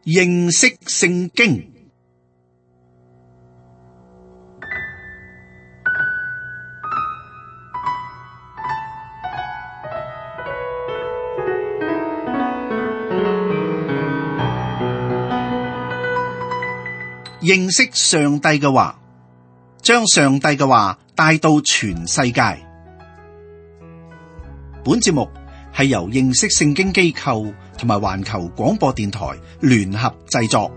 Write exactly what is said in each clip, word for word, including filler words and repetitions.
認識聖經。認識上帝嘅話，將上帝嘅話帶到全世界。本節目係由認識聖經機構同埋環球廣播電台聯合製作。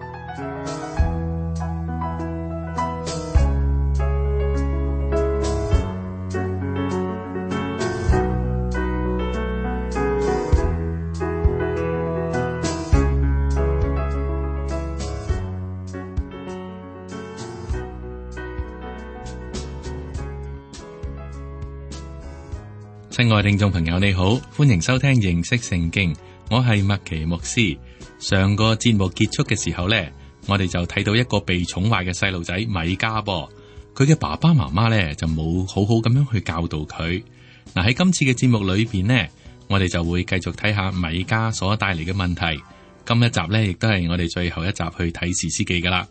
親愛聽眾朋友，你好，歡迎收聽認識聖經。我係麥奇牧師。上個節目結束嘅時候呢，我哋就睇到一個被寵壞嘅細路仔米迦噃。佢嘅爸爸媽媽呢就冇好好咁樣去教導佢。嗱，喺今次嘅節目裏邊呢，我哋就會繼續睇下米迦所帶嚟嘅問題。今一集呢亦都係我哋最後一集去睇士師記噶啦。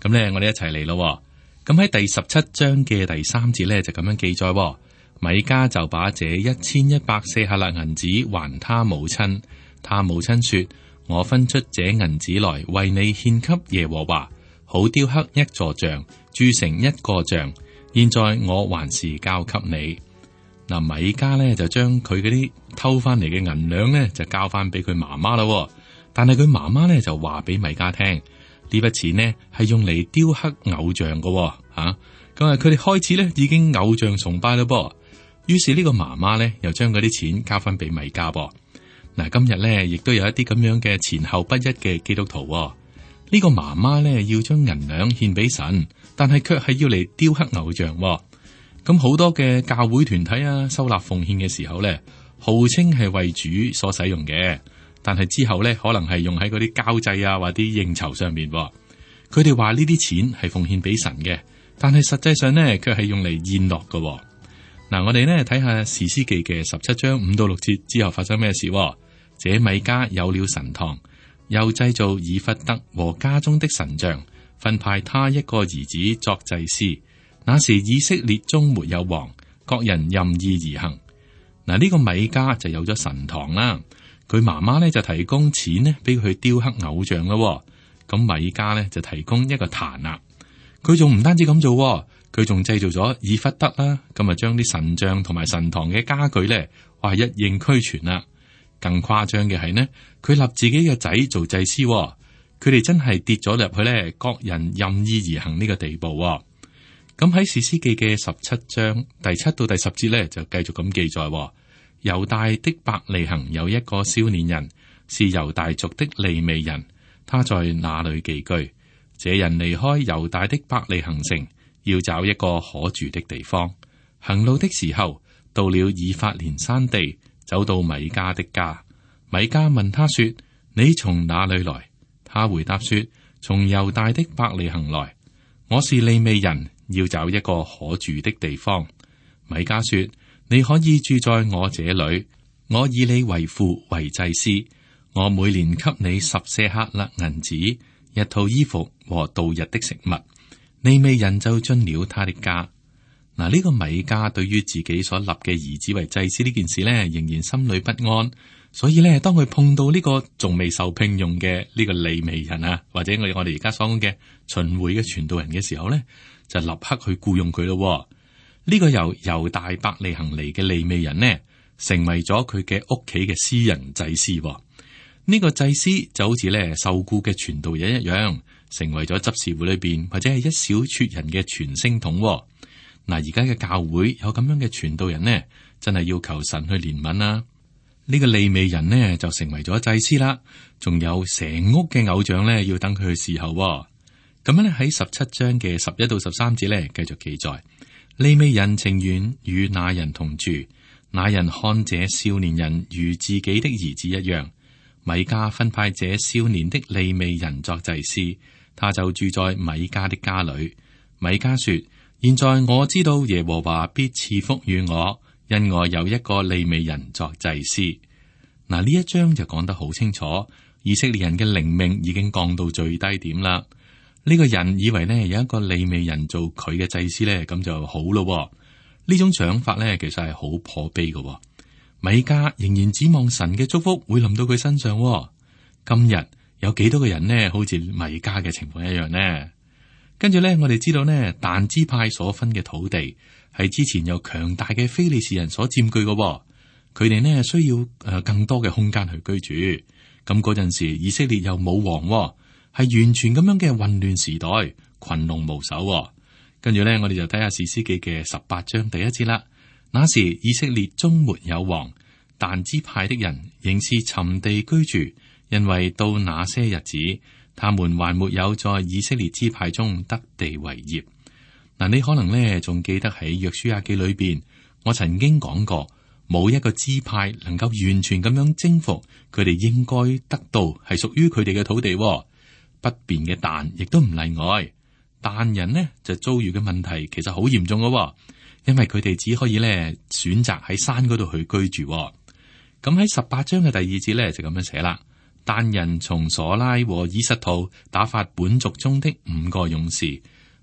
咁呢，我哋一齊嚟咯。咁喺第十七章嘅第三節呢，就咁樣記載。米迦就把這一千一百舍客勒銀子還他母親，他母親說：我分出這銀子來為你獻給耶和華，好雕刻一座像，鑄成一個像。現在我還是交給你。嗱，米迦呢就將佢嗰啲偷翻嚟嘅銀兩呢就交翻俾佢媽媽啦。但係佢媽媽呢就話俾米迦聽，呢筆錢呢係用嚟雕刻偶像噶吓。咁啊，佢哋開始呢已經偶像崇拜啦噃。於是呢個媽媽咧，又將嗰啲錢交翻俾米迦噃。嗱，今日咧亦都有一啲咁樣嘅前後不一嘅基督徒。呢、這個媽媽咧要將銀兩獻俾神，但係卻係要嚟雕刻偶像。咁好多嘅教會團體啊，收納奉獻嘅時候咧，號稱係為主所使用嘅，但係之後咧可能係用喺嗰啲交際啊或啲應酬上面。佢哋話呢啲錢係奉獻俾神嘅，但係實際上咧卻係用嚟宴樂嘅。嗱，我哋呢睇下士師記嘅十七章五到六節之後發生咩事。這米迦有了神堂，又製造以弗得和家中的神像，分派他一個兒子作祭司。那時以色列中沒有王，各人任意而行。嗱，呢個米迦就有咗神堂啦。佢媽媽呢就提供錢呢俾佢雕刻偶像咯。咁米迦呢就提供一個壇啦。佢仲唔單止咁做。佢仲製造咗以弗得啦，咁啊將啲神像同埋神堂嘅家具咧，話一應俱全啦。更誇張嘅係呢，佢立自己嘅仔做祭司，佢哋真係跌咗入去咧，各人任意而行呢個地步。咁喺士師記嘅十七章第七到第十節咧，就繼續咁記載：猶大的伯利恆有一個少年人，是猶大族的利未人，他在那裏寄居。這人離開猶大的伯利恆城，要找一個可住的地方。行路的時候，到了以法蓮山地，走到米迦的家。米迦問他說：你從哪裏來？他回答說：從猶大的伯利恆來。我是利未人，要找一個可住的地方。米迦說：你可以住在我這裏，我以你為父為祭司，我每年給你十舍客勒銀子，一套衣服和度日的食物。利未人就進了他的家。嗱，呢個米迦對於自己所立嘅兒子為祭司呢件事呢，仍然心裏不安。所以呢，當佢碰到呢個仲未受聘用嘅呢個利未人啊，或者我我哋而家所講嘅巡迴嘅傳道人嘅時候呢，就立刻去僱傭佢咯。呢、這個由猶大伯利恆嚟嘅利未人呢，成為咗佢嘅屋企嘅私人祭司。呢、這個祭司就好似呢受僱嘅傳道人一樣，成為咗執事會裏邊或者係一小撮人嘅傳聲筒。嗱，而家嘅教會有咁樣嘅傳道人呢，真係要求神去憐憫啦。呢個利未人呢就成為咗祭司啦，仲有成屋嘅偶像呢要等佢去侍候。咁樣咧喺十七章嘅十一到十三節咧繼續記載，利未人情願與那人同住，那人看這少年人如自己的兒子一樣。米迦分派這少年的利未人作祭司，他就住在米迦的家裏。米迦說：現在我知道耶和華必賜福與我，因我有一個利未人作祭司。嗱，呢一章就講得好清楚，以色列人嘅靈命已經降到最低點啦。呢個人以為呢有一個利未人做佢嘅祭司呢，咁就好咯。呢種想法呢，其實係好可悲嘅。米迦仍然指望神嘅祝福會臨到佢身上。今日有幾多個人呢，好似米迦嘅情況一樣呢？跟住呢，我哋知道呢，但支派所分嘅土地係之前由強大嘅非利士人所佔據嘅。佢哋呢需要誒更多嘅空間去居住。咁嗰陣時，以色列又冇王，係完全咁樣嘅混亂時代，群龍無首。跟住呢，我哋就睇下士師記嘅十八章第一節啦。那時以色列中沒有王，但支派的人仍是尋地居住，因為到那些日子，他們還沒有在以色列支派中得地為業。嗱，你可能呢仲記得喺約書亞記裏邊，我曾經講過，冇一個支派能夠完全咁樣征服佢哋應該得到係屬於佢哋嘅土地。北邊嘅但亦都唔例外。但人呢就遭遇嘅問題其實好嚴重嘅，因為佢哋只可以咧選擇喺山嗰度去居住。咁喺十八章嘅第二節咧就咁樣寫啦。但人從瑣拉和以實陶打發本族中的五個勇士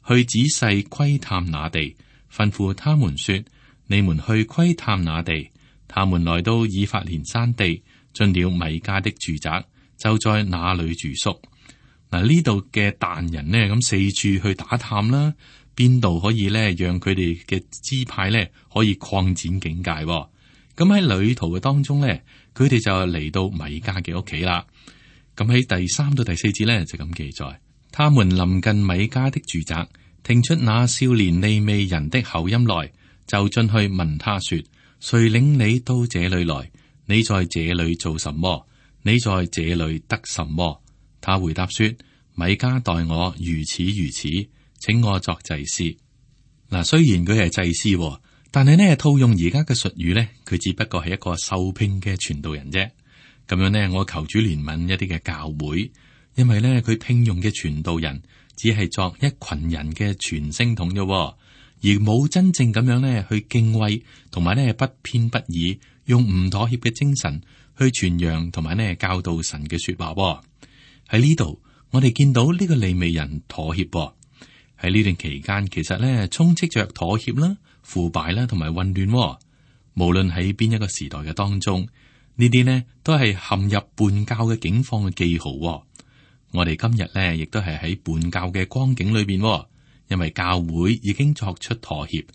去仔細窺探那地，吩咐他們說：你們去窺探那地。他們來到以法蓮山地，進了米迦的住宅，就在那裏住宿。嗱，呢度嘅但人呢，咁四處去打探啦，邊度可以咧讓佢哋嘅支派咧可以擴展境界。咁喺旅途嘅當中咧，佢哋就嚟到米迦嘅屋企啦。咁喺第三到第四節咧就咁記載，他們臨近米迦的住宅，聽出那少年利未人的口音來，就進去問他說：誰領你到這裏來？你在這裏做什麼？你在這裏得什麼？他回答說：米迦待我如此如此，請我作祭司。嗱，雖然佢係祭司，但係呢套用而家嘅術語呢，佢只不過係一個受聘嘅傳道人啫。咁樣呢，我求主憐憫一啲嘅教會，因為呢，佢聘用嘅傳道人只係作一群人嘅傳聲筒啫，而冇真正咁樣呢去敬畏，同埋呢不偏不倚，用唔妥協嘅精神去傳揚同埋呢教導神嘅說話。喺呢度，我哋見到呢個利未人妥協。喺呢段期間，其實呢充斥着妥協啦、腐敗啦同埋混亂。無論喺邊一個時代嘅當中，呢啲呢都係陷入叛教嘅境況嘅記號。我哋今日呢亦都係喺叛教嘅光景裏邊，因為教會已經作出妥協，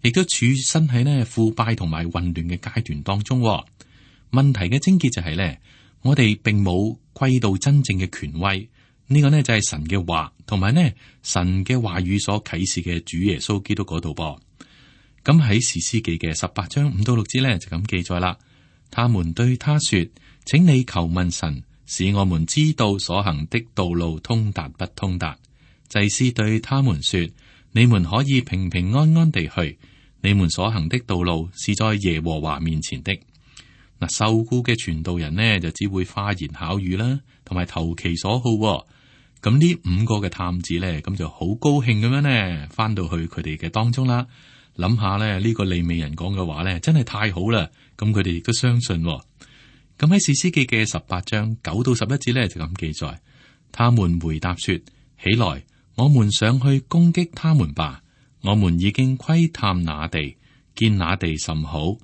亦都處身喺呢腐敗同埋混亂嘅階段當中。問題嘅症結就係呢，我哋並冇歸到真正嘅權威，呢個呢就係神嘅話，同埋呢神嘅話語所啟示嘅主耶穌基督嗰度噃。咁喺士師記嘅十八章五到六節呢，就咁記載啦。他們對他說：請你求問神，使我們知道所行的道路通達不通達。祭司對他們說：你們可以平平安安地去，你們所行的道路是在耶和華面前的。嗱，受僱嘅傳道人呢，就只會花言巧語啦，同埋投其所好。咁呢五個嘅探子呢，咁就好高興咁樣呢，翻到去佢哋嘅當中啦。諗下咧，呢個利未人講嘅話呢，真係太好啦。咁佢哋亦都相信。咁喺士師記嘅十八章九到十一節呢，就咁記載，他們回答說：起來，我們上去攻擊他們吧。我們已經窺探那地，見那地甚好。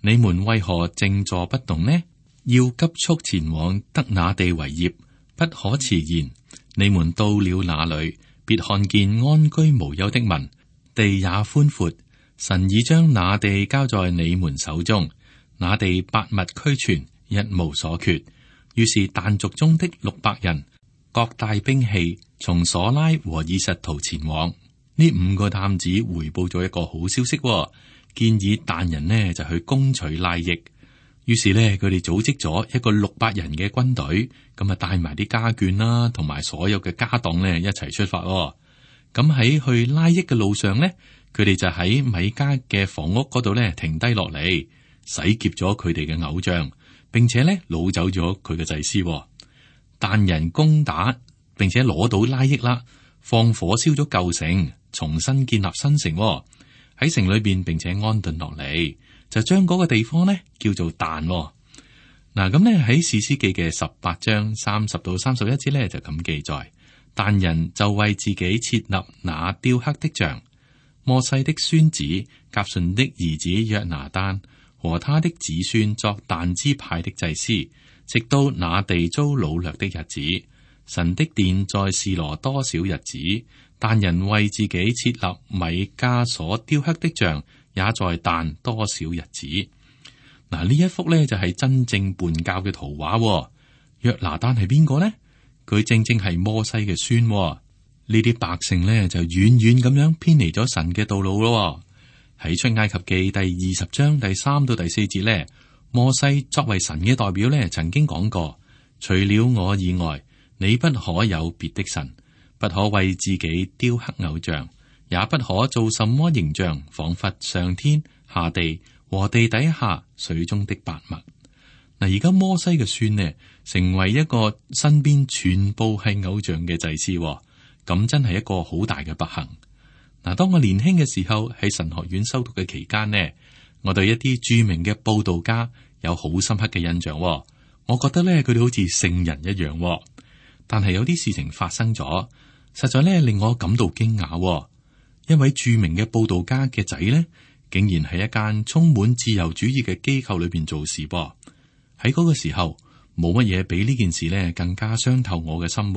你們為何靜坐不動呢？要急速前往得那地為業，不可遲延。你們到了那裏，別看見安居無憂的民，地也寬闊。神已將那地交在你們手中，那地百物俱全，一無所缺。於是但族中的六百人各帶兵器，從瑣拉和以實陶前往。呢五個探子回報咗一個好消息，建議但人呢就去攻取拉益。於是呢，佢哋組織咗一個六百人嘅軍隊，咁啊帶埋啲家眷啦，同埋所有嘅家當呢一齊出發。咁喺去拉益嘅路上呢，佢哋就喺米迦嘅房屋嗰度咧停低落嚟，洗劫咗佢哋嘅偶像，並且咧擄走咗佢嘅祭司。但人攻打，並且攞到拉益啦，放火燒咗舊城，重新建立新城。喺城裏邊，並且安頓落嚟，就將嗰個地方咧叫做但。嗱，咁咧喺士師記嘅十八章三十到三十一節咧就咁記載，但人就為自己設立那雕刻的像。摩西的孫子革順的兒子約拿單和他的子孫作但支派的祭司，直到那地遭擄掠的日子。神的殿在示羅多少日子？但人為自己設立米迦所雕刻的像，也在但多少日子？嗱，呢一幅呢就係真正叛教嘅圖畫。約拿單係邊個呢？佢正正係摩西嘅孫。呢啲百姓呢就遠遠咁樣偏離咗神嘅道路咯。喺出埃及記第二十章第三到第四節呢，摩西作為神嘅代表呢，曾經講過：除了我以外，你不可有別的神，不可為自己雕刻偶像，也不可做什麼形象，仿佛上天下地和地底下水中的百物。嗱，而家摩西嘅孫呢，成為一個身邊全部係偶像嘅祭司。咁真係一個好大嘅不幸。嗱，當我年輕嘅時候喺神學院修讀嘅期間呢，我對一啲著名嘅佈道家有好深刻嘅印象。我覺得咧，佢哋好似聖人一樣。但係有啲事情發生咗，實在咧令我感到驚訝。一位著名嘅佈道家嘅仔呢，竟然喺一間充滿自由主義嘅機構裏邊做事噃。喺嗰個時候，冇乜嘢比呢件事呢更加傷透我嘅心。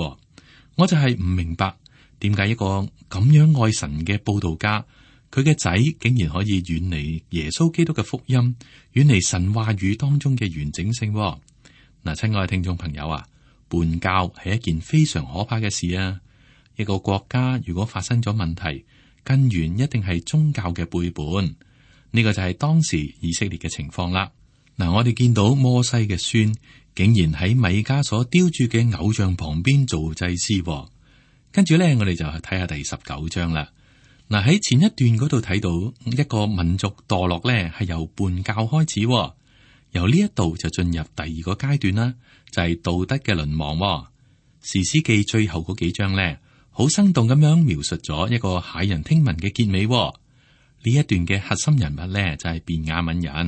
我就係唔明白。點解一個咁樣愛神嘅佈道家，佢嘅仔竟然可以遠離耶穌基督嘅福音，遠離神話語當中嘅完整性？嗱，親愛嘅聽眾朋友啊，叛教係一件非常可怕嘅事啊！一個國家如果發生咗問題，根源一定係宗教嘅背叛。呢個就係當時以色列嘅情況啦。嗱，我哋見到摩西嘅孫竟然喺米迦所雕住嘅偶像旁邊做祭司。跟住咧，我哋就睇下第十九章啦。嗱，喺前一段嗰度睇到一個民族墮落咧，係由叛教開始，由呢一度就進入第二個階段啦，就係、是、道德嘅淪亡。士師記最後嗰幾章咧，好生動咁樣描述咗一個駭人聽聞嘅結尾。呢一段嘅核心人物咧，就係便雅憫人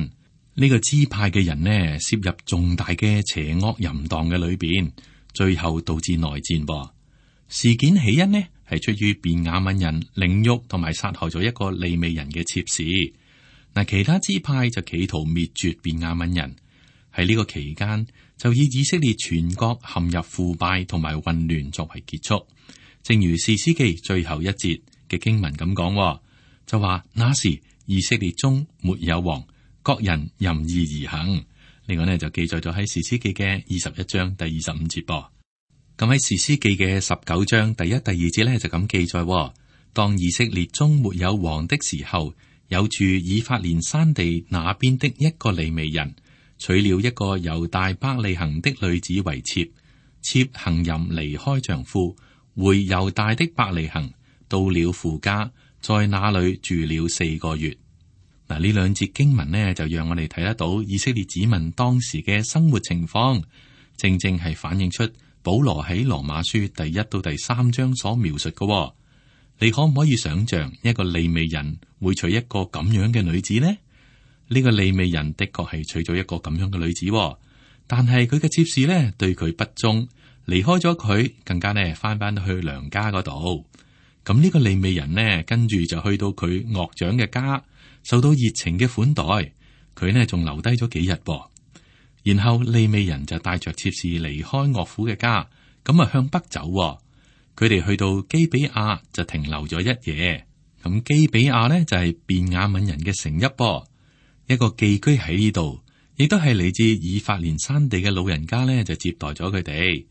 呢、這個支派嘅人呢，涉入重大嘅邪惡淫蕩嘅裏邊，最後導致內戰噃。事件起因呢，係出於便雅憫人凌辱同埋殺害咗一個利未人嘅妾侍。嗱，其他支派就企圖滅絕便雅憫人。喺呢個期間，就以以色列全國陷入腐敗同埋混亂作為結束。正如士師記最後一節嘅經文咁講，就話那時以色列中沒有王，各人任意而行。呢個呢就記載咗喺士師記嘅二十一章第二十五節噃。咁喺士師記嘅十九章第一、第二節咧就咁記載：當以色列中沒有王的時候，有住以法蓮山地那邊的一個利未人，娶了一個猶大伯利恆的女子為妾，妾行淫離開丈夫，回猶大的伯利恆，到了父家，在那裏住了四個月。嗱，呢兩節經文呢，就讓我哋睇得到以色列子民當時嘅生活情況，正正係反映出保羅喺羅馬書第一到第三章所描述嘅、哦，你可唔可以想象一個利未人會娶一個咁樣嘅女子呢？呢、這個利未人的確係娶咗一個咁樣嘅女子、哦，但係佢嘅妾侍呢對佢不忠，離開咗佢，更加呢翻返去娘家嗰度。咁呢個利未人呢，跟住就去到佢岳長嘅家，受到熱情嘅款待，佢呢仲留低咗幾日噃。然後利未人就帶着妾侍離開岳父嘅家，咁啊向北走。佢哋去到基比亞就停留咗一夜。咁基比亞呢，就係便雅憫人嘅城邑噃，一個寄居喺呢度，亦都係嚟自以法蓮山地嘅老人家呢，就接待咗佢哋。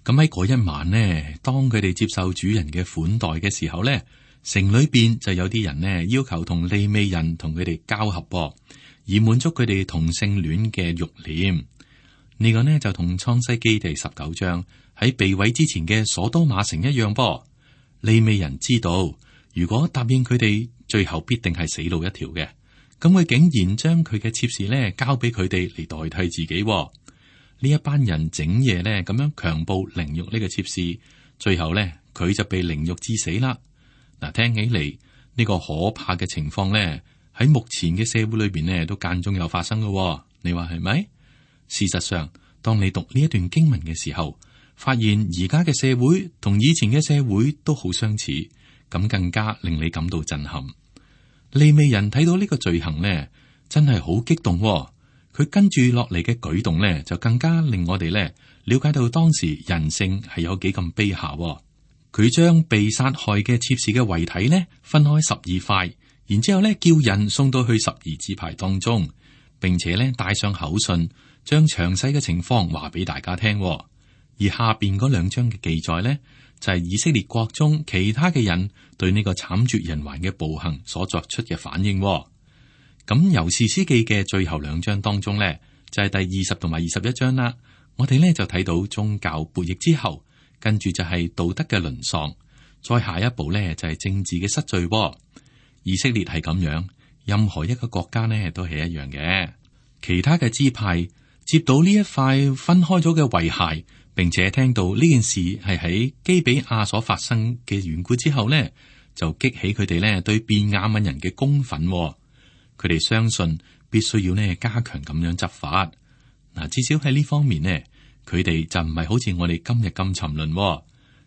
咁喺嗰一晚呢，當佢哋接受主人嘅款待嘅時候呢，城裏邊就有啲人呢要求同利未人同佢哋交合噃，以滿足佢哋同性戀嘅慾念。呢、這個呢就同創世記第十九章喺被毀之前嘅所多瑪城一樣噃。利未人知道，如果答應佢哋，最後必定係死路一條嘅。咁佢竟然將佢嘅妾侍呢交俾佢哋嚟代替自己。呢一班人整夜呢咁樣強暴凌辱呢個妾侍，最後呢佢就被凌辱致死啦。嗱，聽起嚟呢、這個可怕嘅情況呢，喺目前嘅社會裏邊呢都間中有發生嘅。你話係咪？事實上，當你讀呢一段經文嘅時候，發現而家嘅社會同以前嘅社會都好相似，咁更加令你感到震撼。利未人睇到呢個罪行呢，真係好激動喎。佢跟住落嚟嘅舉動呢，就更加令我哋呢了解到當時人性係有幾咁卑下喎。佢將被殺害嘅妾侍嘅遺體呢分開十二塊，然之後呢叫人送到去十二支派當中，並且呢帶上口信，將詳細嘅情況話俾大家聽喎。而下邊嗰兩章嘅記載呢，就係以色列國中其他嘅人對呢個慘絕人寰嘅暴行所作出嘅反應。咁由士師記嘅最後兩章當中呢，就係第二十同埋二十一章啦。我哋呢就睇到宗教悖逆之後，跟住就係道德嘅淪喪，再下一步呢就係政治嘅失序。以色列係咁樣，任何一個國家呢都係一樣嘅。其他嘅支派接到呢一塊分開咗嘅遺骸，並且聽到呢件事係喺基比亞所發生嘅緣故之後呢，就激起佢哋呢對便雅憫人嘅公憤。佢哋相信必須要呢加強咁樣執法。嗱，至少喺呢方面呢，佢哋就唔係好似我哋今日咁沉淪。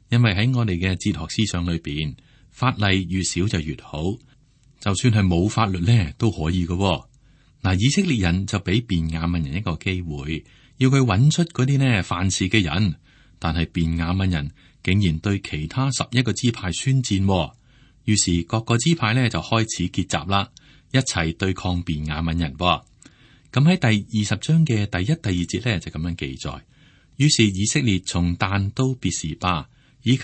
因為喺我哋嘅哲學思想裏邊，法例越少就越好，就算係冇法律呢都可以嘅。嗱，以色列人就俾便雅憫人一個機會，要佢揾出嗰啲呢犯事嘅人，但係便雅憫人竟然對其他十一個支派宣戰，於是各個支派呢就開始結集啦。一齊對抗便雅憫人。咁喺第二十章嘅第一、第二節呢，就咁樣記載。於是以色列從但到別是巴，以及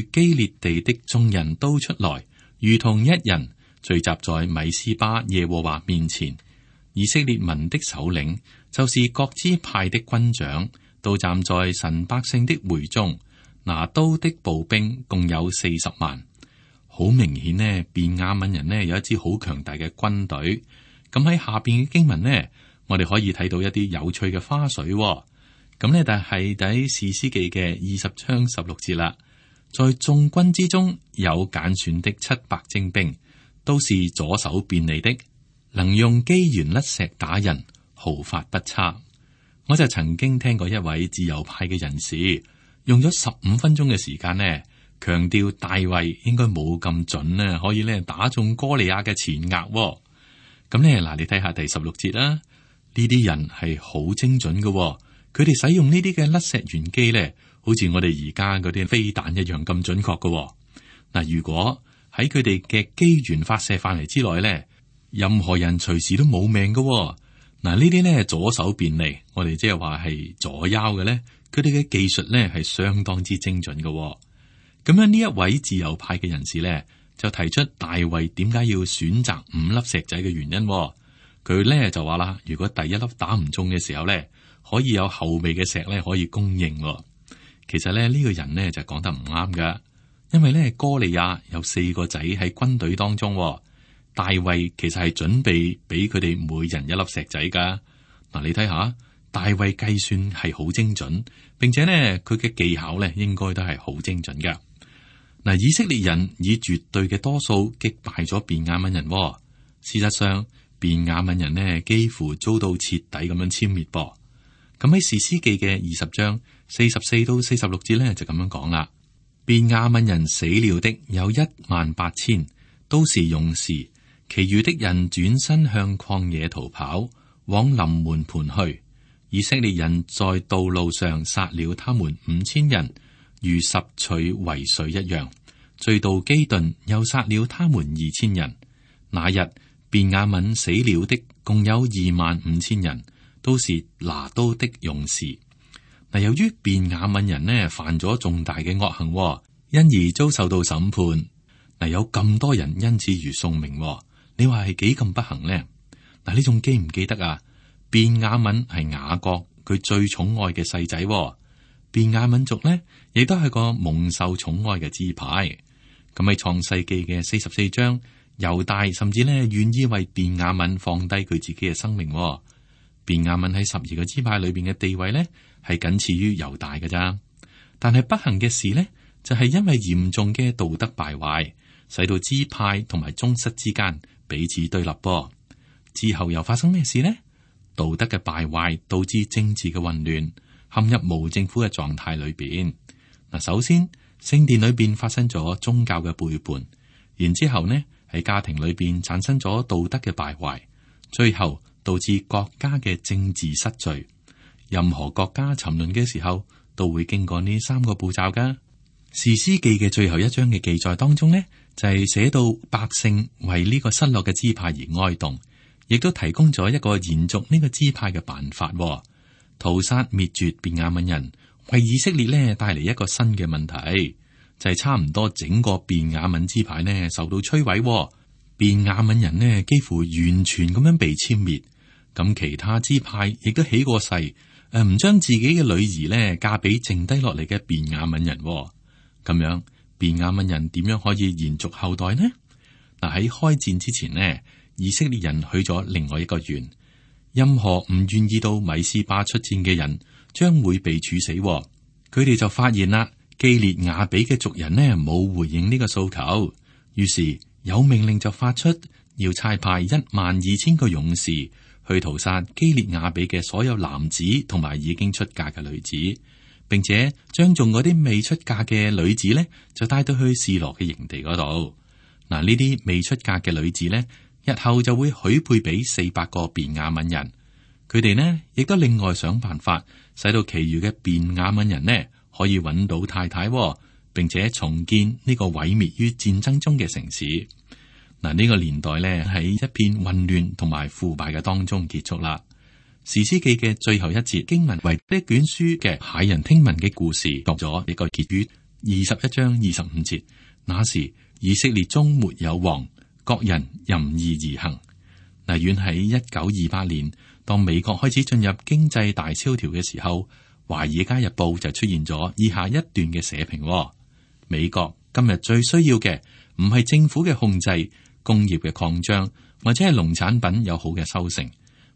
住基列地的眾人都出來，如同一人聚集在米斯巴耶和華面前。以色列民的首領，就是各支派的軍長，都站在神百姓的會中，拿刀的步兵共有四十萬。好明顯呢，便雅憫人呢有一支好強大嘅軍隊。咁喺下邊嘅經文呢，我哋可以睇到一啲有趣嘅花絮。咁呢，但係喺士師記嘅二十章十六節啦，在眾軍之中有揀選的七百精兵，都是左手便利的，能用機弦甩石打人，毫發不差。我就曾經聽過一位自由派嘅人士用咗十五分鐘嘅時間呢，強調大衛應該冇咁準呢，可以咧打中哥利亞嘅前額。咁咧嗱，你睇下第十六節啦，呢啲人係好精準嘅，佢哋使用呢啲嘅甩石原機咧，好似我哋而家嗰啲飛彈一樣咁準確嘅。嗱，如果喺佢哋嘅機緣發射範圍之內咧，任何人隨時都冇命嘅。嗱，呢啲咧左手便利，我哋即係話係左腰嘅咧，佢哋嘅技術咧係相當之精準嘅。咁樣呢一位自由派嘅人士咧，就提出大衛點解要選擇五粒石仔嘅原因。佢咧就話啦，如果第一粒打唔中嘅時候咧，可以有後備嘅石咧可以供應。其實咧呢個人呢就講得唔啱噶，因為咧哥利亞有四個仔喺軍隊當中，大衛其實係準備俾佢哋每人一粒石仔噶。嗱，你睇下，大衛計算係好精準，並且呢，佢嘅技巧咧應該都係好精準噶。嗱，以色列人以絕對嘅多數擊敗咗便雅憫人。事實上，便雅憫人呢幾乎遭到徹底咁樣殲滅噃。咁喺士師記嘅二十章四十四到四十六節咧就咁樣講啦。便雅憫人死了的有一萬八千，都是勇士，其餘的人轉身向曠野逃跑，往臨門盤去。以色列人在道路上殺了他們五千人，如拾取遺水一樣，追到基頓，又殺了他們二千人。那日便雅憫死了的共有二萬五千人，都是拿刀的勇士。嗱，由於便雅憫人呢犯咗重大嘅惡行，因而遭受到審判。嗱，有咁多人因此而送命，你話係幾咁不幸呢？嗱，你仲記唔記得啊？便雅憫係雅各佢最寵愛嘅細仔。便雅憫族呢，亦都係個蒙受寵愛嘅支派。咁喺創世記嘅四十四章，猶大甚至呢願意為便雅憫放低佢自己嘅生命。便雅憫喺十二個支派裏邊嘅地位呢，係僅次於猶大嘅咋。但係不幸嘅事呢，就係因為嚴重嘅道德敗壞，使到支派同埋宗室之間彼此對立。噃之後又發生咩事呢？道德嘅敗壞導致政治嘅混亂，陷入無政府嘅狀態裏邊。嗱，首先聖殿裏邊發生咗宗教嘅背叛，然之後呢喺家庭裏邊產生咗道德嘅敗壞，最後導致國家嘅政治失序。任何國家沉淪嘅時候，都會經過呢三個步驟噶。士師記嘅最後一章嘅記載當中呢，就係寫到百姓為呢個失落嘅支派而哀慟，亦都提供咗一個延續呢個支派嘅辦法，屠殺滅絕便雅憫人，為以色列呢帶嚟一個新嘅問題，就係、是、差唔多整個便雅憫支派呢受到摧毀，便雅憫人呢幾乎完全咁樣被殲滅，咁其他支派亦都起過誓，誒唔將自己嘅女兒呢嫁俾剩低落嚟嘅便雅憫人。咁樣，便雅憫人點樣可以延續後代呢？嗱，喺開戰之前呢，以色列人去咗另外一個縣，任何唔願意到米斯巴出戰嘅人，將會被處死。佢哋就發現啦，基列雅比嘅族人呢冇回應呢個訴求，於是有命令就發出，要差派一萬二千個勇士去屠殺基列雅比嘅所有男子同埋已經出嫁嘅女子。並且將仲嗰啲未出嫁嘅女子呢，就帶到去示羅嘅營地嗰度。嗱，呢啲未出嫁嘅女子呢，日後就會許配俾四百個便雅憫人。佢哋呢，亦都另外想辦法，使到其餘嘅便雅憫人呢，可以揾到太太，並且重建呢個毀滅於戰爭中嘅城市。嗱，呢個年代呢，喺一片混亂同埋腐敗嘅當中結束啦。士師記嘅最後一節經文為呢卷書嘅駭人聽聞嘅故事作咗一個結語。二十一章二十五節，那時以色列中沒有王，各人任意而行。嗱，遠喺一九二八年，當美國開始進入經濟大蕭條嘅時候，華爾街日報就出現咗以下一段嘅社評：美國今日最需要嘅唔係政府嘅控制、工業嘅擴張，或者係農產品有好嘅收成。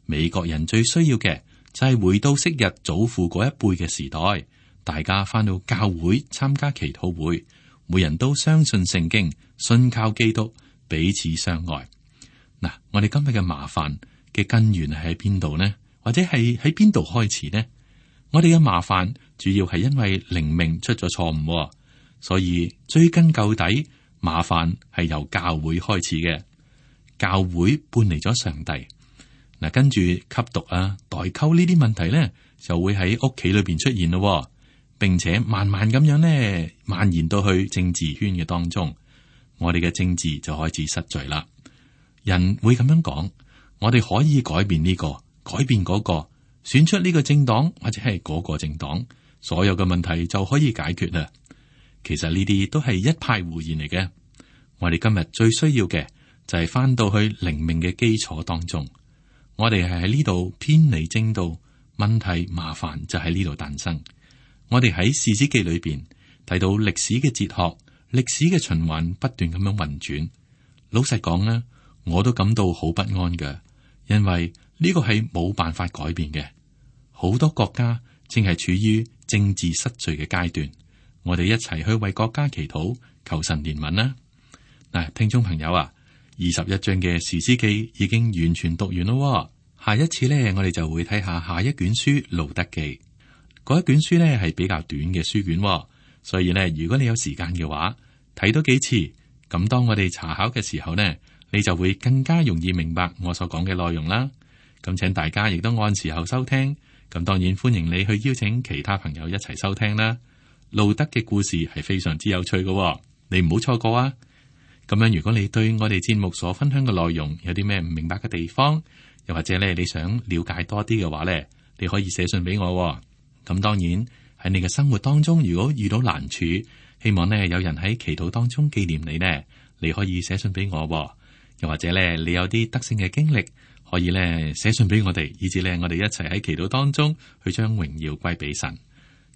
美國人最需要嘅就係回到昔日祖父嗰一輩嘅時代，大家翻到教會參加祈禱會，每人都相信聖經，信靠基督，彼此相愛。嗱，我哋今日嘅麻煩嘅根源係喺邊度呢？或者係喺邊度開始呢？我哋嘅麻煩主要係因為靈命出咗錯誤，所以追根究底，麻煩係由教會開始嘅。教會搬離咗上帝。嗱，跟住吸毒啊、代溝呢啲問題咧，就會喺屋企裏邊出現咯，並且慢慢咁樣咧蔓延到去政治圈嘅當中，我哋嘅政治就開始失序啦。人會咁樣講，我哋可以改變呢個，改變嗰個，選出呢個政黨或者係嗰個政黨，所有嘅問題就可以解決啦。其實呢啲都係一派胡言嚟嘅。我哋今日最需要嘅就係翻到去靈命嘅基礎當中。我哋係喺呢度偏離正道，問題麻煩就喺呢度誕生。我哋喺士師記裏邊睇到歷史嘅哲學，歷史嘅循環不斷咁樣運轉。老實講咧，我都感到好不安嘅，因為呢個係冇辦法改變嘅。好多國家正係處於政治失序嘅階段，我哋一齊去為國家祈禱，求神憐憫啦。嗱，聽眾朋友啊，二十一章嘅士師記已經完全讀完咯。下一次呢，我哋就會睇下下一卷書路得記。嗰一卷書呢係比較短嘅書卷，所以呢，如果你有時間嘅話，睇多幾次，咁當我哋查考嘅時候呢，你就會更加容易明白我所講嘅內容啦。咁請大家亦都按時候收聽，咁當然歡迎你去邀請其他朋友一齊收聽啦。路得嘅故事係非常之有趣嘅，你唔好錯過啊！咁樣，如果你對我哋節目所分享嘅內容有啲咩唔明白嘅地方，又或者咧你想了解多啲嘅話咧，你可以寫信俾我。咁當然喺你嘅生活當中，如果遇到難處，希望呢有人喺祈禱當中紀念你呢，你可以寫信俾我。又或者咧你有啲得勝嘅經歷，可以咧寫信俾我哋，以至咧我哋一齊喺祈禱當中去將榮耀歸俾神。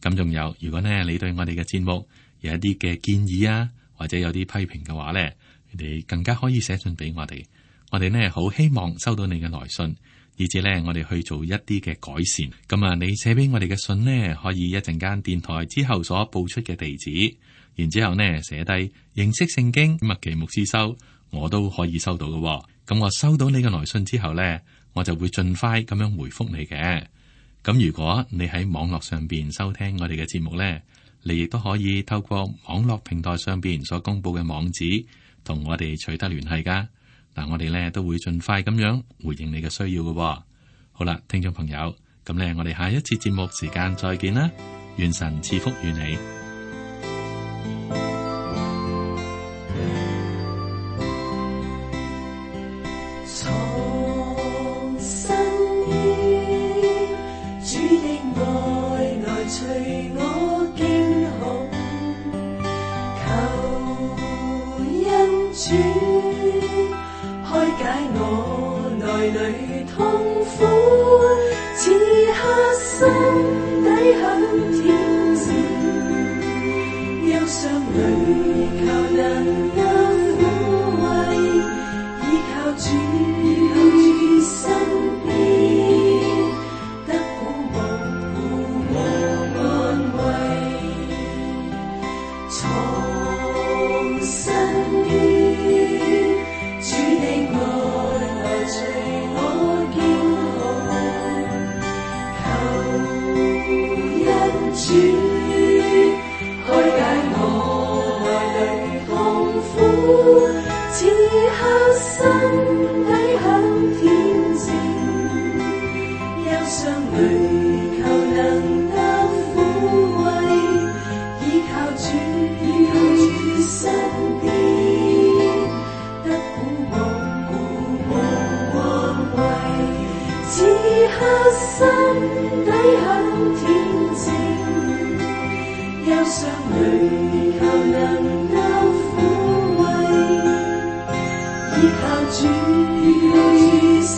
咁仲有，如果呢你對我哋嘅節目有一啲嘅建議啊，或者有啲批評嘅話咧，你哋更加可以寫信俾我哋。我哋呢好希望收到你嘅來信，以至咧我哋去做一啲嘅改善。咁啊，你寫俾我哋嘅信呢，可以一陣間電台之後所報出嘅地址，然之後呢寫低認識聖經麥奇牧師收，我都可以收到嘅。咁我收到你嘅來信之後呢，我就會盡快咁樣回覆你嘅。咁如果你喺網絡上邊收聽我哋嘅節目呢，你亦都可以透過網絡平台上邊所公布嘅網址，同我哋取得聯繫噶。嗱，我哋呢都會盡快咁樣回應你嘅需要嘅。好啦，聽眾朋友，咁呢，我哋下一次節目時間再見啦，願神賜福於你。主開解我內裏痛苦，此刻心底很恬靜，憂傷裏靠能得撫慰，依靠主於身邊，得鼓舞和安慰，藏身於主的愛來隨我經過，求恩主開解我內裏痛苦，此刻心底很恬靜，憂傷裏求能得撫慰，依靠主於身邊，得鼓舞和安慰，此刻心底很恬靜，憂傷裏求能得撫慰，依靠主於身